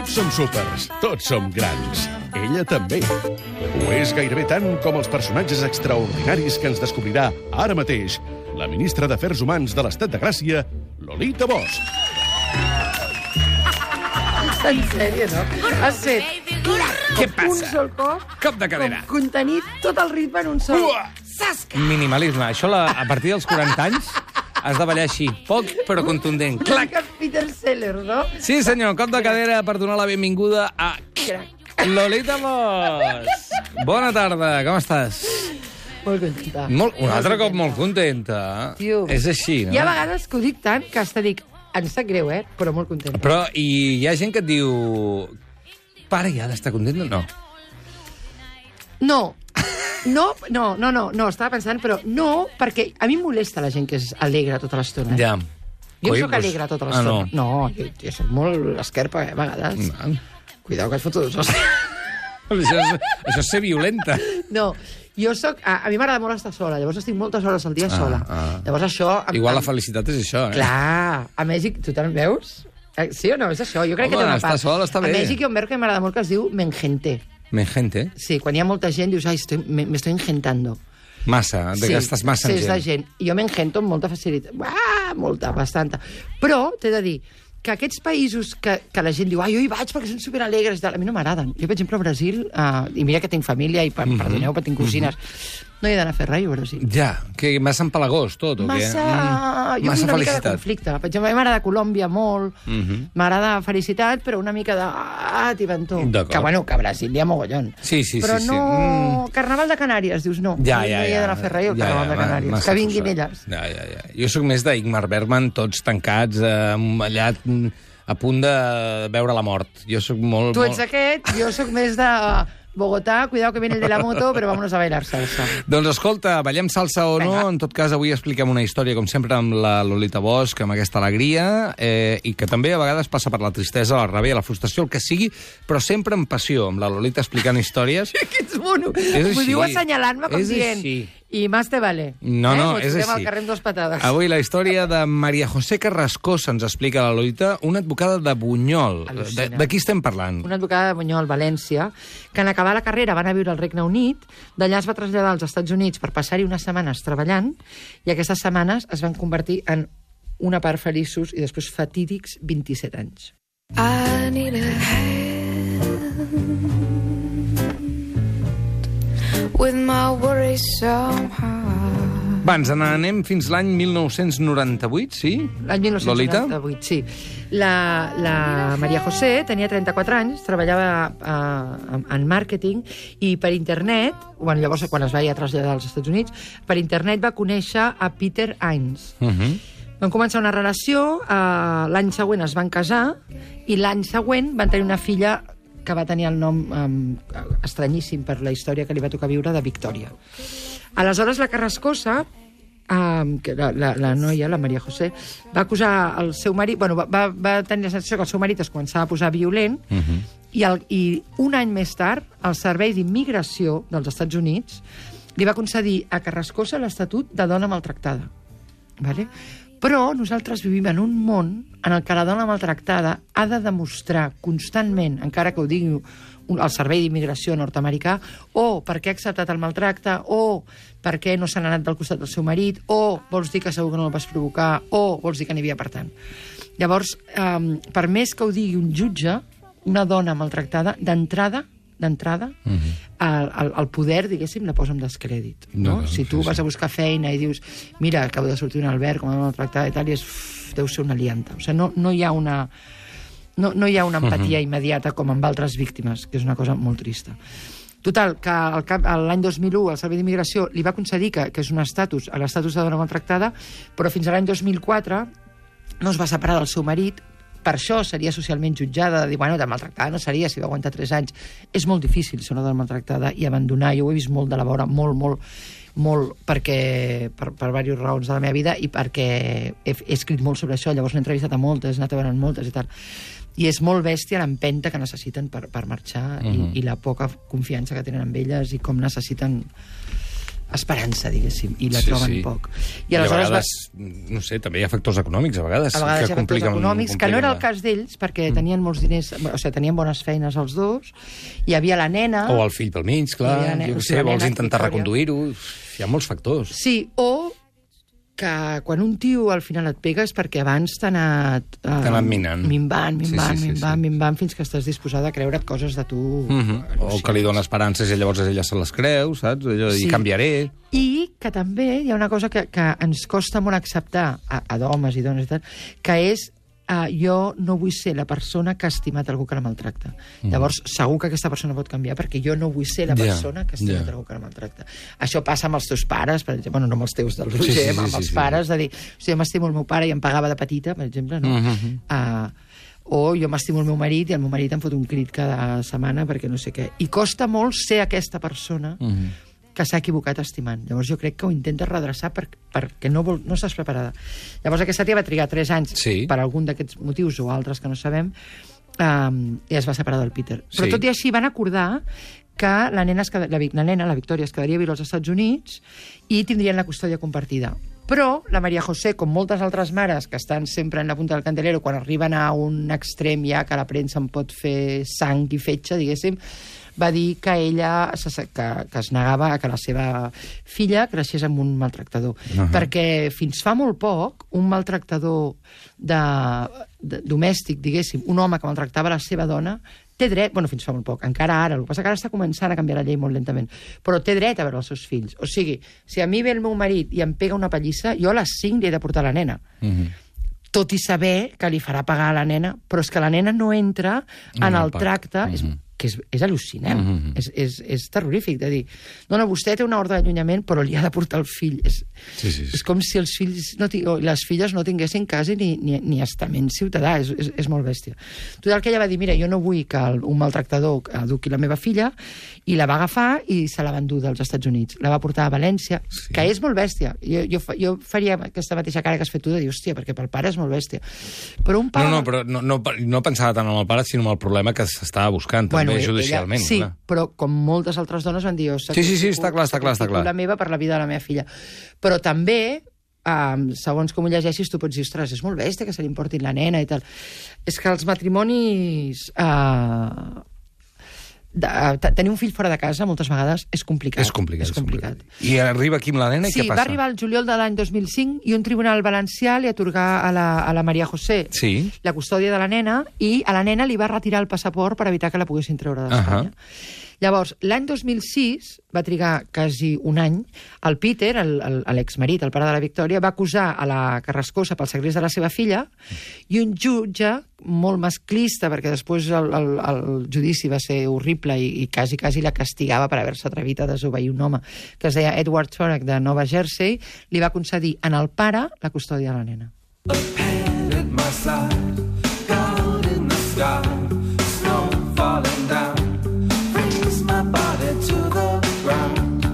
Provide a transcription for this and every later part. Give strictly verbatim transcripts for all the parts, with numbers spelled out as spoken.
Tots som súpers, tots som grans. Ella també. Ho és gairebé tant com els personatges extraordinaris que ens descobrirà ara mateix la ministra d'Afers Humans de l'Estat de Gràcia, Lolita Bosch. En sèrio, no? Has fet Què passa? un sol cop, Cop de cadera. com contenir tot el ritme en un sol. Ua! Minimalisme. Això la, a partir dels quaranta anys has de ballar així. Poc, però contundent. Una Clac! mica Peter Sellers, no? Sí, senyor, cop de cadera per donar la benvinguda a Lolita Bosch. Bona tarda, com estàs? Molt contenta. Molt, un altre cop molt contenta. Tio. És així, no? Hi ha vegades que ho dic tant que hasta dic, em sap greu, eh? Però molt contenta. Però i hi ha gent que et diu... Pare, ja ha d'estar contenta? No. No. No, no, no, no, no, estava pensant, però no, perquè a mi em molesta la gent que és alegre tota l'estona. Ja. Jo Coi, soc doncs- alegre tota Ah, l'estona. no. No, jo, jo soc molt esquerpa, eh, a vegades. No. Cuidao que et foto dos hòsties. Això és, això és ser violenta. No, jo soc... A, a mi m'agrada molt estar sola, llavors estic moltes hores al dia Ah, sola. ah. Llavors això... Em, Igual la em- felicitat és això, eh? Clar, a Mèxic, tu te'n veus? Eh, Sí o no? És això, jo crec Home, que té una estar part. sola està bé. A Mèxic hi ha un verb que m'agrada molt que es diu mengenté. Men gente. Sí, quan hi ha molta gent dius, ai, estoy, me, me estoy engentando. Massa, de Sí, que estàs massa sí, en és de gent. gent. Jo m'engento amb molta facilitat. Ah, molta, bastanta. Però t'he de dir que aquests països que, que la gent diu ai, jo hi vaig perquè són superalegres, a mi no m'agraden. Jo, per exemple, a Brasil, uh, i mira que tinc família, i per, Mhm. perdoneu, però tinc cosines, no he d'anar a fer res, a Brasil. Ja, que massa empalagós tot, o què? Massa... Mm, Jo massa una mica de felicitat. conflicte. Per exemple, a mi m'agrada Colòmbia molt, Mhm. m'agrada felicitat, però una mica de... Ah, tibantó. D'acord. Que, bueno, que a Brasil hi ha mogollon. Sí, sí, però sí, sí. no... Mm. Carnaval de Canàries, dius, no. Ja, no, ja, no hi he ja. d'anar a fer res, el Ja, Carnaval ja, de Canàries. massa Que vinguin forçat. elles. Ja, ja, ja. Jo sóc més d'Ingmar Bergman, tots tancats, eh, allà mm, a punt de veure la mort. Jo sóc molt... Tu ets molt... aquest, jo sóc més de Bogotà, cuidado que viene el de la moto, però vámonos a bailar salsa. Doncs escolta, ballem salsa o no, Vinga. en tot cas avui expliquem una història, com sempre, amb la Lolita Bosch, amb aquesta alegria, eh, i que també a vegades passa per la tristesa, la ràbia, la frustració, el que sigui, però sempre amb passió, amb la Lolita explicant històries. Que ets mono. És M'ho així. diu assenyalant-me com És dient... així. I más te vale. No, no, eh? és Ens fotem així. al carrer amb dues patades. Avui la història de Maria José Carrascosa ens explica la Lolita, una advocada de Bunyol. De, Al·lucina. de qui estem parlant? Una advocada de Bunyol, València, que en acabar la carrera va anar a viure al Regne Unit, d'allà es va traslladar als Estats Units per passar-hi unes setmanes treballant, i aquestes setmanes es van convertir en una part feliços i després fatídics vint-i-set anys. I need a hand with my worries somehow. Va, ens n'anem fins l'any mil nou-cents noranta-vuit, sí? L'any dinou noranta-vuit, sí. La, la Maria José tenia trenta-quatre anys, treballava uh, en màrqueting i per internet, bueno, llavors quan es va ja traslladar als Estats Units, per internet va conèixer a Peter Hines. Uh -huh. Van començar una relació, uh, l'any següent es van casar i l'any següent van tenir una filla que va tenir el nom um, estranyíssim per la història que li va tocar viure, de Victòria. Aleshores, la Carrascosa, um, que la, la, la noia, la Maria José, va acusar el seu marit... Bueno, va, va, va tenir la sensació que el seu marit es començava a posar violent, Uh -huh. i, el, i un any més tard, el Servei d'Immigració dels Estats Units li va concedir a Carrascosa l'estatut de dona maltractada. Vale? Però nosaltres vivim en un món en el que la dona maltractada ha de demostrar constantment, encara que ho digui el Servei d'Immigració nord-americà, o perquè ha acceptat el maltracte, o perquè no se n'ha anat del costat del seu marit, o vols dir que segur que no el vas provocar, o vols dir que n'hi havia per tant. Llavors, eh, per més que ho digui un jutge, una dona maltractada, d'entrada, d'entrada, uh -huh. el, el, el poder, diguéssim, la posa en descrèdit. No? No, no, si tu sí, vas sí. a buscar feina i dius, mira, acabo de sortir un Albert, com a maltractada i tal, i és, uf, deu ser una lianta. O sigui, no, no hi ha una... No, no hi ha una empatia uh -huh. immediata com amb altres víctimes, que és una cosa molt trista. Total, que al cap- l'any dos mil u el Servei d'Immigració li va concedir que, que és un estatus, l'estatus de dona maltractada, però fins a l'any dos mil quatre no es va separar del seu marit. Per això seria socialment jutjada, de dir, bueno, de maltractada no seria si va aguantar tres anys. És molt difícil ser una dona maltractada i abandonar, jo ho he vist molt de la vora, molt, molt, molt, perquè, per, per diverses raons de la meva vida i perquè he, he escrit molt sobre això, llavors n'he entrevistat a moltes, he anat a veure moltes i tal. I és molt bèstia l'empenta que necessiten per, per marxar uh -huh. i, i la poca confiança que tenen en elles i com necessiten esperança, diguéssim, i la Sí, troben sí. poc. I, a vegades, no sé, també hi ha factors econòmics, a vegades. A vegades hi que ha factors compliquen- econòmics, que no era el compliquen cas d'ells, perquè tenien molts diners, o sigui, tenien bones feines els dos, hi havia la nena... la- O el fill pel mig, clar, Hi havia la nena- jo què o sigui, sé, la vols nena, intentar Victòria. reconduir-ho... Hi ha molts factors. Sí, o que quan un tio al final et pega és perquè abans t'ha anat... Uh, T'ha anat minant. Minvant, Sí, minvant, sí, sí, minvant, sí. minvant, fins que estàs disposada a creure't coses de tu... Mm -hmm. O que li dona esperances i llavors ella se les creu, saps? Allò, Sí. I canviaré. I que també hi ha una cosa que, que ens costa molt acceptar, a, a d'homes i dones i tal, que és uh, jo no vull ser la persona que ha estimat algú que la maltracta. Mm. Llavors, segur que aquesta persona pot canviar perquè jo no vull ser la Ja, persona que ha estimat ja. algú que la maltracta. Això passa amb els teus pares, per exemple, bueno, no amb els teus del Roger, Sí, sí, sí, amb sí, els sí, pares, de dir, o sigui, jo m'estimo el meu pare i em pagava de petita, per exemple, no? Mm -hmm. uh, o jo m'estimo el meu marit i el meu marit em fot un crit cada setmana perquè no sé què. I costa molt ser aquesta persona Mm -hmm. que s'ha equivocat estimant. Llavors jo crec que ho intentes redreçar per, perquè no, vol, no estàs preparada. Llavors aquesta tia va trigar tres anys Sí. per algun d'aquests motius o altres que no sabem, um, i es va separar del Peter. Però Sí. tot i així van acordar que la nena, es queda, la, la nena, la Victòria, es quedaria a viure als Estats Units i tindrien la custòdia compartida. Però la Maria José, com moltes altres mares que estan sempre en la punta del candelero, quan arriben a un extrem ja que la premsa en pot fer sang i fetge, diguéssim, va dir que ella se- que, que es negava a que la seva filla creixés amb un maltractador. Ahà. Perquè fins fa molt poc, un maltractador de, de, domèstic, diguéssim, un home que maltractava la seva dona, té dret, bueno, fins fa molt poc, encara ara, el que passa que ara està començant a canviar la llei molt lentament, però té dret a veure els seus fills. O sigui, si a mi ve el meu marit i em pega una pallissa, jo a les cinc li he de portar la nena. Mm -hmm. Tot i saber que li farà pagar a la nena, però és que la nena no entra en En el el pack. tracte, Mm-hmm. és, que és, és al·lucinant, Mhm. és, és, és terrorífic de dir, no, no, vostè té una ordre d'allunyament però li ha de portar el fill. És, Sí, sí, sí. és com si els fills no ti- o les filles no tinguessin quasi ni, ni, ni estament ciutadà, és, és, és molt bèstia. Total, que ella va dir, mira, jo no vull que el, un maltractador eduqui la meva filla, i la va agafar i se la va endur dels Estats Units. La va portar a València, Sí. que és molt bèstia. Jo, jo, fa- jo faria aquesta mateixa cara que has fet tu de dir, hòstia, perquè pel pare és molt bèstia. Però un pare... No, no, però no, no, no pensava tant en el pare, sinó en el problema que s'estava buscant, també, ella- judicialment. sí, clar. però com moltes altres dones van dir... Jo Sí, sí, sí, està clar, està clar, està clar. La meva per la vida de la meva filla. Però també, um, segons com ho llegeixis, tu pots dir, ostres, és molt bèstia que se li importin la nena i tal. És que els matrimonis... Uh, de, uh, tenir un fill fora de casa moltes vegades és complicat. És complicat. És complicat. I arriba aquí amb la nena i Sí, què passa? va arribar el juliol de l'any dos mil cinc i un tribunal valencià li atorgà a la, a la Maria José Sí. la custòdia de la nena i a la nena li va retirar el passaport per evitar que la poguessin treure d'Espanya. Ahà. Llavors, l'any dos mil sis, va trigar quasi un any, el Peter, el- el- l'exmarit, el pare de la Victòria, va acusar a la Carrascosa pel segrest de la seva filla i un jutge molt masclista, perquè després el, el, el judici va ser horrible i, i quasi, quasi la castigava per haver-se atrevit a desobeir un home, que es deia Edward Turek de Nova Jersey, li va concedir en el pare la custòdia de la nena. Hand at my side, gold in the sky, snow falling down, freeze my body to the ground.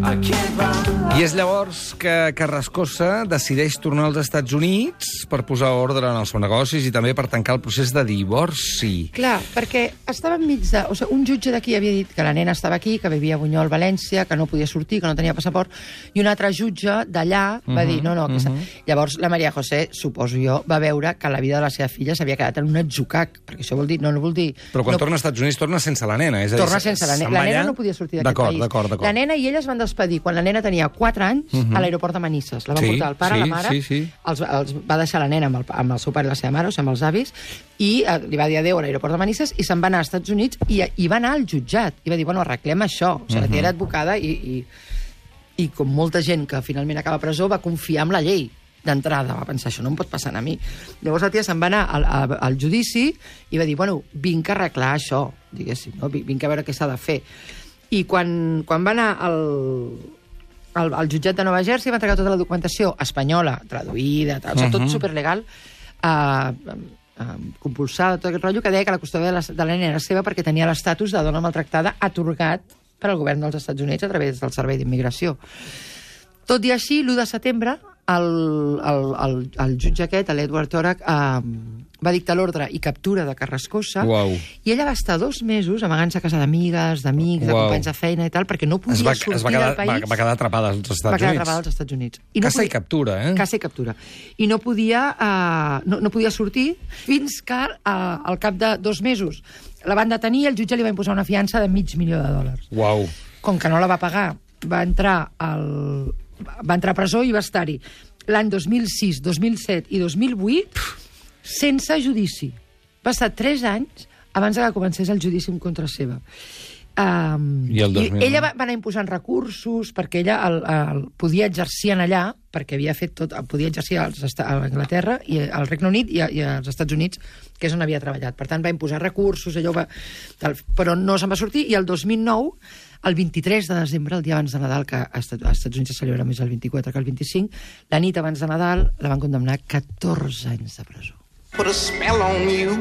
I can't run. I és llavors que Carrascosa decideix tornar als Estats Units per posar ordre en els seus negocis i també per tancar el procés de divorci. Clar, perquè estava enmig de... O sigui, un jutge d'aquí havia dit que la nena estava aquí, que vivia a Bunyol, València, que no podia sortir, que no tenia passaport, i un altre jutge d'allà va dir, no, no, aquesta... Llavors la Maria José, suposo jo, va veure que la vida de la seva filla s'havia quedat en un atzucac, perquè això vol dir... No, no vol dir... Però quan no, torna als Estats Units torna sense la nena. És a dir, torna sense la nena. se'n La va nena allà- no podia sortir d'aquest D'acord, país. d'acord, d'acord. La nena i ella es van despedir quan la nena tenia quatre anys a l'aeroport de Manises. La van Sí, portar el pare, sí, la mare, sí, sí. Els, els va deixar la nena amb el, amb el seu pare i la seva mare, o sigui, amb els avis, i eh, li va dir adéu a l'aeroport de Manises i se'n va anar als Estats Units i, i va anar al jutjat. I va dir, bueno, arreglem això. O sigui, la tia era advocada i, i, i com molta gent que finalment acaba a presó va confiar en la llei d'entrada, va pensar, això no em pot passar a mi. Llavors la tia se'n va anar al, al, al judici i va dir, bueno, vinc a arreglar això, diguéssim, no? Vinc a veure què s'ha de fer. I quan, quan va anar al, al, al jutjat de Nova Jersey va entregar tota la documentació espanyola, traduïda, tal, o sigui, tot superlegal, eh, eh, compulsada, tot aquest rotllo, que deia que la custòdia de la, de la nena era seva perquè tenia l'estatus de dona maltractada atorgat per al govern dels Estats Units a través del Servei d'Immigració. Tot i així, l'u de setembre, el, el, el, el jutge aquest, l'Edward Turek, eh, va dictar l'ordre i captura de Carrascosa, Uau. i ella va estar dos mesos amagant-se a casa d'amigues, d'amics, de Uau. companys de feina i tal, perquè no podia Es va, sortir es va, quedar, del país. va, va quedar atrapada als Estats va quedar Units. atrapada als Estats Units. I Caça i podia- captura, eh? Caça i captura. I no podia, uh, no, no podia sortir fins que uh, al cap de dos mesos la van detenir i el jutge li va imposar una fiança de mig milió de dòlars. Uau. Com que no la va pagar, va entrar, al, va entrar a presó i va estar-hi l'any dos mil sis, dos mil set i dos mil vuit sense judici. Va estar tres anys abans que comencés el judici en contra seva. Um, I el dos mil nou? ella va, va anar imposant recursos perquè ella el, el, podia exercir en allà, perquè havia fet tot, podia exercir als, a Anglaterra, i al Regne Unit i, a, i als Estats Units, que és on havia treballat. Per tant, va imposar recursos, allò va, tal, però no se'n va sortir, i el dos mil nou, el vint-i-tres de desembre, el dia abans de Nadal, que als Estats Units se celebra més el vint-i-quatre que el vint-i-cinc, la nit abans de Nadal la van condemnar a catorze anys de presó. Put a spell on you.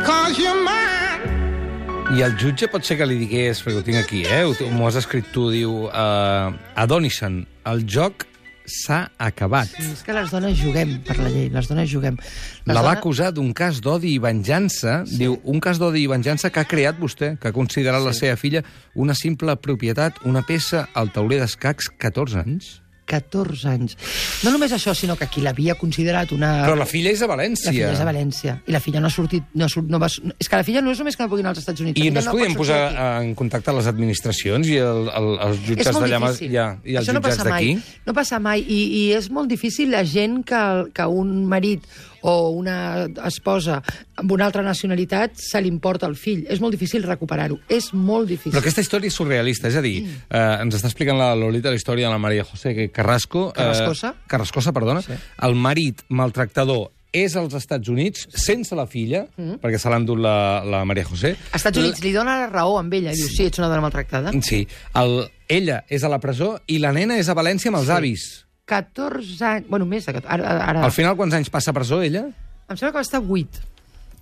Cause you're mine. I el jutge pot ser que li digués, perquè ho tinc aquí, eh? M'ho has escrit tu, diu... Uh, Adonison, el joc s'ha acabat. Sí, és que les dones juguem per la llei, les dones juguem. Les La va dones... acusar d'un cas d'odi i venjança, sí. Diu, un cas d'odi i venjança que ha creat vostè, que ha considerat sí. la seva filla una simple propietat, una peça al tauler d'escacs, catorze anys. catorze anys. No només això, sinó que qui l'havia considerat una... Però la filla és a València. La filla és a València. I la filla no ha sortit... No, surt, no va... És que la filla no és només que no pugui anar als Estats Units. I la no es pot podien sortir posar aquí. en contacte les administracions i el, el, els És jutjats molt d'allà difícil. ja, i els Això no jutjats passa mai. d'aquí? No passa mai. I, I és molt difícil la gent que, que un marit o una esposa amb una altra nacionalitat se li importa el fill. És molt difícil recuperar-ho. És molt difícil. Però aquesta història és surrealista, és a dir, mm. eh, ens està explicant la Lolita la història de la María José Carrasco... Carrascosa. Eh, Carrascosa, perdona. Sí. El marit maltractador és als Estats Units sense la filla, mm. perquè se l'ha endut la, la María José. Als Estats Units li dona la raó amb ella. Diu, sí, ets una dona maltractada. Sí. El, ella és a la presó i la nena és a València amb els Sí. avis. catorze anys... Bueno, més de catorze. Ara, ara... Al final, quants anys passa a presó, ella? Em sembla que va estar vuit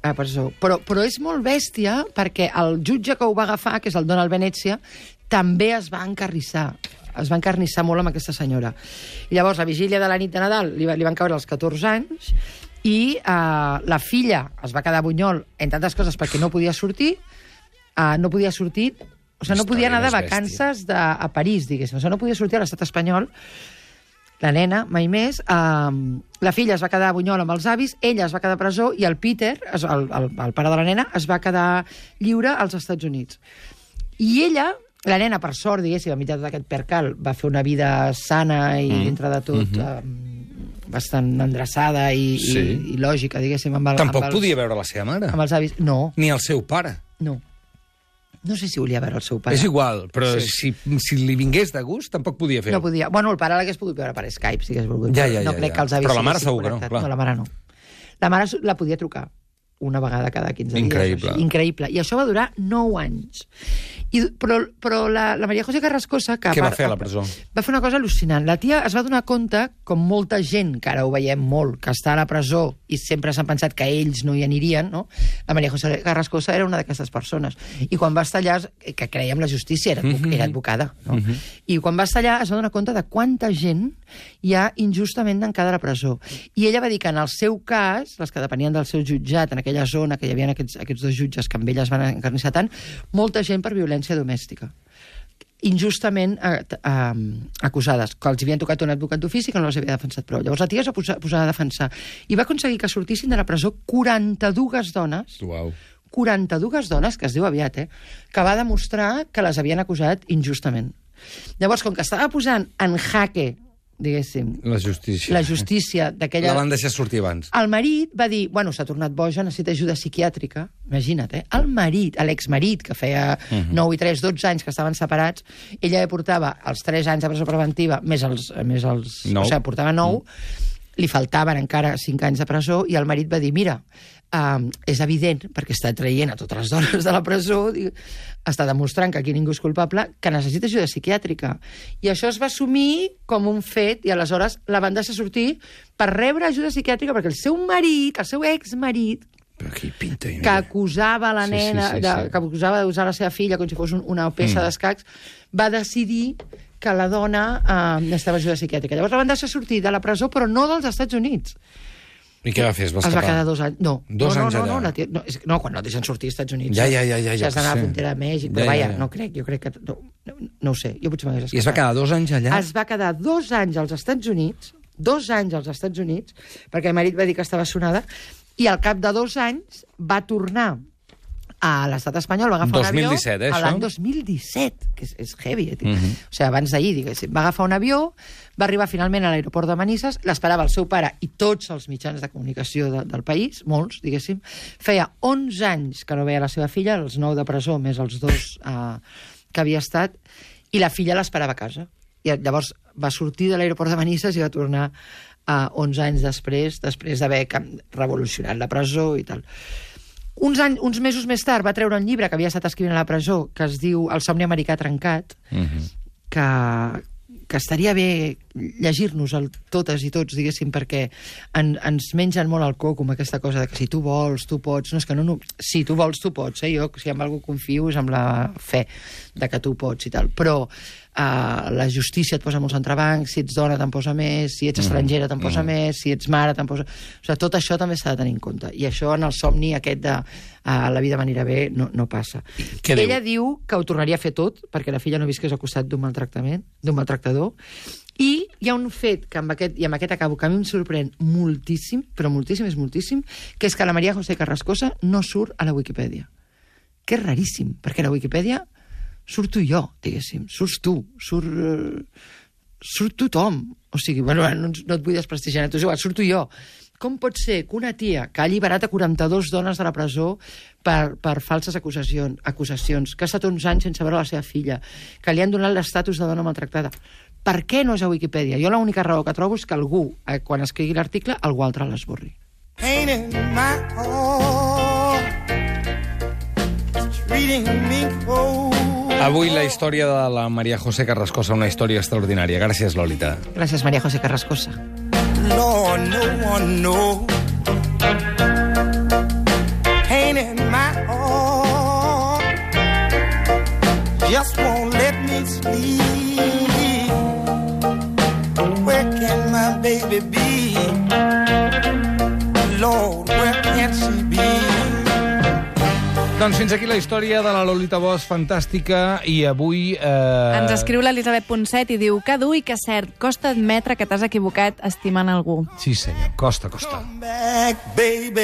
a presó. Però, però és molt bèstia perquè el jutge que ho va agafar, que és el Donald Venezia, també es va encarnissar. Es va encarnissar molt amb aquesta senyora. I llavors, la vigília de la nit de Nadal li, va, li van caure els catorze anys i eh, la filla es va quedar a Bunyol, entre altres coses, perquè no podia sortir, eh, no podia sortir... O sigui, no podia anar de vacances de, a París, diguéssim. O sigui, no podia sortir a l'estat espanyol. La nena, mai més. Um, la filla es va quedar a Bunyol amb els avis, ella es va quedar a presó i el Peter, el, el, el pare de la nena, es va quedar lliure als Estats Units. I ella, la nena, per sort, diguéssim, a mitjà d'aquest percal, va fer una vida sana i, mm. dintre de tot, mm -hmm. um, bastant endreçada i, sí. i, i lògica, diguéssim. Amb el, Tampoc amb els, podia veure la seva mare. Amb els avis. No. Ni el seu pare. No. No sé si volia veure el seu pare. És igual, però Sí. si, si li vingués de gust, tampoc podia fer-ho. No podia. Bueno, el pare l'hagués pogut veure per Skype, si hagués volgut. Ja, ja, no ja, crec ja. que els avis Però la mare s'haguessin segur que no, connectat. clar. No, la mare no. La mare la podia trucar una vegada cada quinze Increïble. dies. Així. Increïble. I això va durar nou anys. I, però però la, la María José Carrascosa... Que Què va part, fer a la presó? Va fer una cosa al·lucinant. La tia es va donar compte, com molta gent, que ara ho veiem molt, que està a la presó i sempre s'han pensat que ells no hi anirien, no? La María José Carrascosa era una d'aquestes persones. I quan va estar allà, que creia en la justícia, era, Mm-hmm. era advocada, no? Mm-hmm. I quan va estar allà es va donar compte de quanta gent hi ha injustament tancada a la presó. I ella va dir que en el seu cas, les que depenien del seu jutjat, en aquella zona, que hi havia aquests, aquests dos jutges que amb ella es van encarnissar tant, molta gent per violència domèstica. Injustament eh, eh, acusades, que els havien tocat un advocat d'ofici que no les havia defensat prou. Llavors la tia es va posar, posar a defensar i va aconseguir que sortissin de la presó quaranta-dues dones, Uau. quaranta-dues dones, que es diu aviat, eh, que va demostrar que les havien acusat injustament. Llavors, com que estava posant en jaque, diguéssim, La justícia. la justícia d'aquella... La van deixar sortir abans. El marit va dir, bueno, s'ha tornat boja, necessita ajuda psiquiàtrica. Imagina't, eh? El marit, l'exmarit, que feia uh -huh. nou i tres, dotze anys que estaven separats, ella ja portava els tres anys de presó preventiva, més els... Més els Nou. o sigui, portava nou, uh -huh. li faltaven encara cinc anys de presó, i el marit va dir, mira, um, és evident, perquè està traient a totes les dones de la presó, diu, està demostrant que aquí ningú és culpable, que necessita ajuda psiquiàtrica. I això es va assumir com un fet, i aleshores la van deixar sortir per rebre ajuda psiquiàtrica, perquè el seu marit, el seu exmarit, Però aquí pinta... que acusava la Sí, nena, sí, sí, de, sí. que acusava d'usar la seva filla com si fos un, una peça Mm. d'escacs, va decidir que la dona eh, necessitava ajuda psiquiàtrica. Llavors la van deixar sortir de la presó, però no dels Estats Units. I què va fer? Es va Es va escapar? quedar dos anys. No, Dos no, anys no, allà. no, no, la tia- no, és, no, quan no deixen sortir als Estats Units. Ja, ja, ja, ja, Si has d'anar ja, a la sí. frontera de Mèxic, però Ja, ja, vaja, ja. no crec, jo crec que... No, no, no ho sé, jo potser m'hagués escapat. I es va quedar dos anys allà? Es va quedar dos anys als Estats Units, dos anys als Estats Units, perquè el marit va dir que estava sonada, i al cap de dos anys va tornar a l'estat espanyol, va agafar dos mil un avió... disset, eh, a l'any això? dos mil disset, que és, és heavy, eh? Mhm. O sigui, abans d'ahir, diguéssim. Va agafar un avió, va arribar finalment a l'aeroport de Manises, l'esperava el seu pare i tots els mitjans de comunicació de, del país, molts, diguéssim. Feia onze anys que no veia la seva filla, els nou de presó, més els dos eh, que havia estat, i la filla l'esperava a casa. I llavors va sortir de l'aeroport de Manises i va tornar eh, onze anys després, després d'haver cam- revolucionat la presó i tal. Uns, any, uns mesos més tard va treure un llibre que havia estat escrivint a la presó, que es diu El somni americà trencat, Mhm. que, que estaria bé llegir-nos-el totes i tots, diguéssim, perquè en, ens mengen molt el coco amb aquesta cosa de que si tu vols, tu pots. No, és que no, no, si tu vols, tu pots. Eh? Jo, si amb algú confio, és amb la fe de que tu pots i tal. Però uh, la justícia et posa molts entrebancs, si ets dona te'n posa més, si ets estrangera te'n posa més, si ets mare te'n posa... O sigui, tot això també s'ha de tenir en compte. I això en el somni aquest de uh, la vida m'anirà bé no, no passa. Què diu? Ella diu que ho tornaria a fer tot perquè la filla no visqués al costat d'un maltractament, d'un maltractador. I hi ha un fet, que amb aquest, i amb aquest acabo, que a mi em sorprèn moltíssim, però moltíssim, és moltíssim, que és que la María José Carrascosa no surt a la Wikipedia. Que és raríssim, perquè a la Wikipedia surto jo, diguéssim, surts tu, surt, uh, surt tothom. O sigui, bueno, no, no et vull desprestigiar, tu és igual, surto jo. Com pot ser que una tia que ha alliberat a quaranta-dues dones de la presó per, per falses acusacions, acusacions, que ha estat uns anys sense veure la seva filla, que li han donat l'estatus de dona maltractada, per què no és a Wikipedia? Jo l'única raó que trobo és que algú, eh, quan escrigui l'article, algú altre l'esborri. Painting my heart, treating me cold. Avui la història de la María José Carrascosa, una història extraordinària. Gràcies, Lolita. Gràcies, María José Carrascosa. Lord, no one knows. Painting my heart, just won't let me sleep. Where can my baby be? Lord, where can she be? Doncs fins aquí la història de la Lolita Bosch, fantàstica, i avui... Eh... Ens escriu l'Elisabet Ponset i diu que dur i que cert, costa admetre que t'has equivocat estimant algú. Sí, senyor, costa, costa. Come back, baby.